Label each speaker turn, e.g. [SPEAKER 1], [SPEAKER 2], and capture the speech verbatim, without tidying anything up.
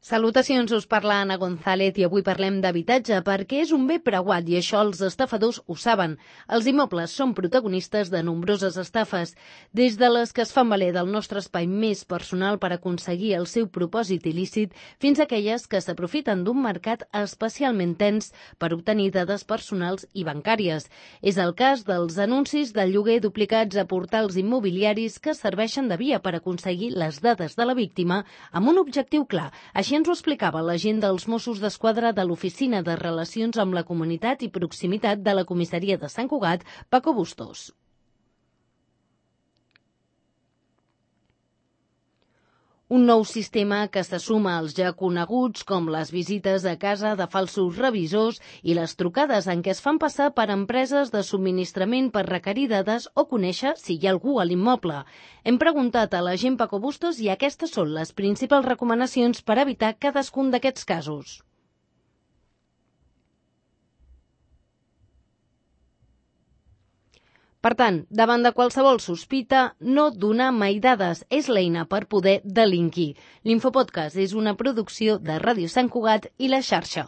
[SPEAKER 1] Salutacions, us parla Anna González i avui parlem d'habitatge perquè és un bé preuat i això els estafadors ho saben. Els immobles són protagonistes de nombroses estafes, des de les que es fan valer del nostre espai més personal per aconseguir el seu propòsit il·lícit fins a aquelles que s'aprofiten d'un mercat especialment tens per obtenir dades personals i bancàries. És el cas dels anuncis de lloguer duplicats a portals immobiliaris que serveixen de via per aconseguir les dades de la víctima amb un objectiu clar. Així ens ho explicava l'agent dels Mossos d'Esquadra de l'Oficina de Relacions amb la Comunitat i Proximitat de la Comissaria de Sant Cugat, Paco Bustos. Un nou sistema que se suma als ja coneguts com les visites a casa de falsos revisors i les trucades en què es fan passar per empreses de subministrament per requerir dades o conèixer si hi ha algú a l'immoble. Hem preguntat a l'agent Paco Bustos i aquestes són les principals recomanacions per evitar cadascun d'aquests casos. Per tant, davant de qualsevol sospita, no donar mai dades és l'eina per poder delinquir. L'Infopodcast és una producció de Ràdio Sant Cugat i La Xarxa.